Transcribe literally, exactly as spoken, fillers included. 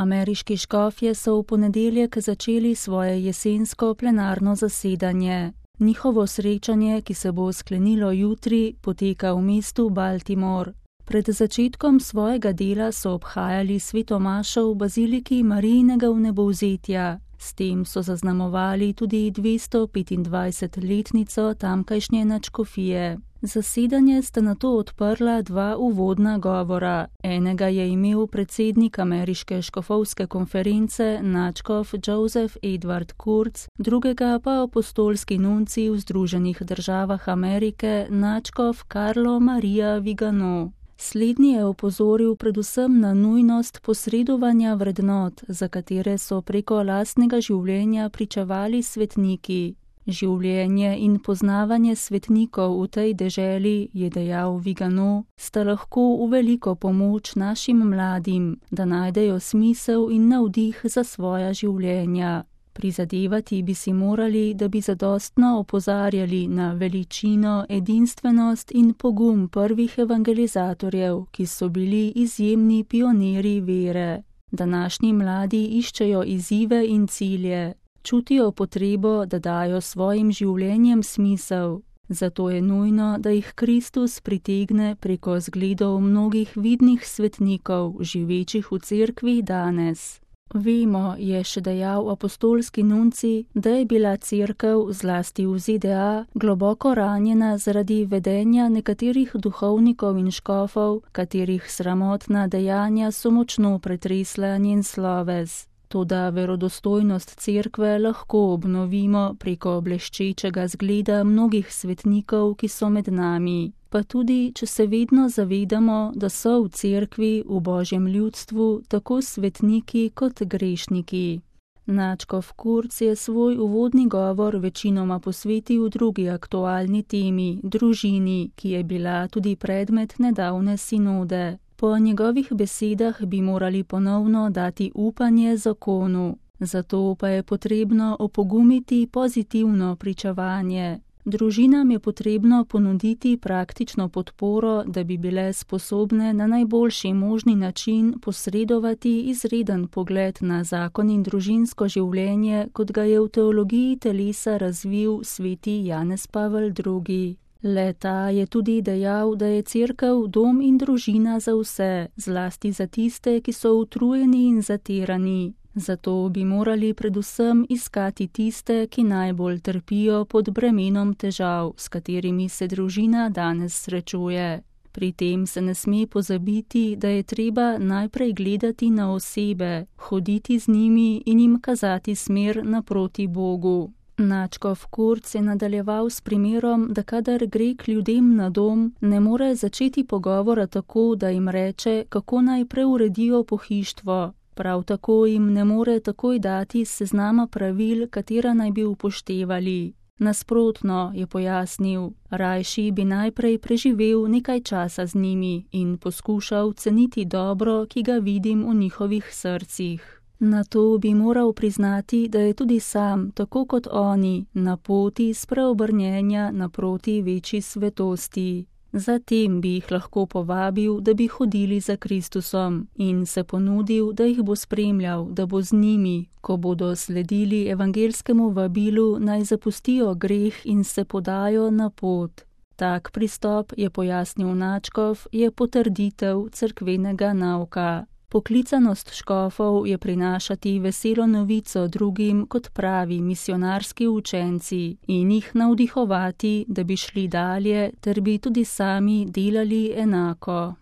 Ameriški škofje so v ponedeljek začeli svoje jesensko plenarno zasedanje. Njihovo srečanje, ki se bo sklenilo jutri, poteka v mestu Baltimore. Pred začetkom svojega dela so obhajali sveto mašo v baziliki Marijinega vnebovzetja. S tem so zaznamovali tudi dvesto petindvajsetletnico tamkajšnje nadškofije. Zasedanje sta nato odprla dva uvodna govora. Enega je imel predsednik Ameriške škofovske konference nadškof Joseph Edward Kurz, drugega pa apostolski nuncij v Združenih državah Amerike nadškof Carlo Maria Vigano. Slednji je opozoril predvsem na nujnost posredovanja vrednot, za katere so preko lastnega življenja pričevali svetniki. Življenje in poznavanje svetnikov v tej deželi, je dejal Vigano, sta lahko v veliko pomoč našim mladim, da najdejo smisel in navdih za svoja življenja. Prizadevati bi si morali, da bi zadostno opozarjali na veličino, edinstvenost in pogum prvih evangelizatorjev, ki so bili izjemni pionirji vere. Današnji mladi iščejo izzive in cilje, čutijo potrebo, da dajo svojim življenjem smisel. Zato je nujno, da jih Kristus pritegne preko zgledov mnogih vidnih svetnikov, živečih v cerkvi danes. Vemo, je še dejal apostolski nuncij, da je bila cerkev, zlasti v Z D A, globoko ranjena zaradi vedenja nekaterih duhovnikov in škofov, katerih sramotna dejanja so močno pretresla njen sloves. Toda verodostojnost cerkve lahko obnovimo preko bleščečega zgleda mnogih svetnikov, ki so med nami. Pa tudi, če se vedno zavedamo, da so v cerkvi, v Božjem ljudstvu, tako svetniki kot grešniki. Nadškof Kurz je svoj uvodni govor večinoma posvetil drugi aktualni temi, družini, ki je bila tudi predmet nedavne sinode. Po njegovih besedah bi morali ponovno dati upanje zakonu, zato pa je potrebno opogumiti pozitivno pričevanje. Družinam je potrebno ponuditi praktično podporo, da bi bile sposobne na najboljši možni način posredovati izreden pogled na zakon in družinsko življenje, kot ga je v teologiji telesa razvil sveti Janez Pavel drugi. Le-ta je tudi dejal, da je cerkev dom in družina za vse, zlasti za tiste, ki so utrujeni in zatirani. Zato bi morali predvsem iskati tiste, ki najbolj trpijo pod bremenom težav, s katerimi se družina danes srečuje. Pri tem se ne sme pozabiti, da je treba najprej gledati na osebe, hoditi z njimi in jim kazati smer naproti Bogu. Nadškof Kurz je nadaljeval s primerom, da kadar gre k ljudem na dom, ne more začeti pogovora tako, da jim reče, kako naj preuredijo pohištvo. Prav tako jim ne more takoj dati seznama pravil, katera naj bi upoštevali. Nasprotno, je pojasnil, rajši bi najprej preživel nekaj časa z njimi in poskušal ceniti dobro, ki ga vidim v njihovih srcih. Nato bi moral priznati, da je tudi sam, tako kot oni, na poti spreobrnjenja naproti večji svetosti. Zatem bi jih lahko povabil, da bi hodili za Kristusom in se ponudil, da jih bo spremljal, da bo z njimi, ko bodo sledili evangelskemu vabilu, naj zapustijo greh in se podajo na pot. Tak pristop, je pojasnil nadškof, je potrditev cerkvenega nauka. Poklicanost škofov je prinašati veselo novico drugim kot pravi misionarski učenci in jih navdihovati, da bi šli dalje ter bi tudi sami delali enako.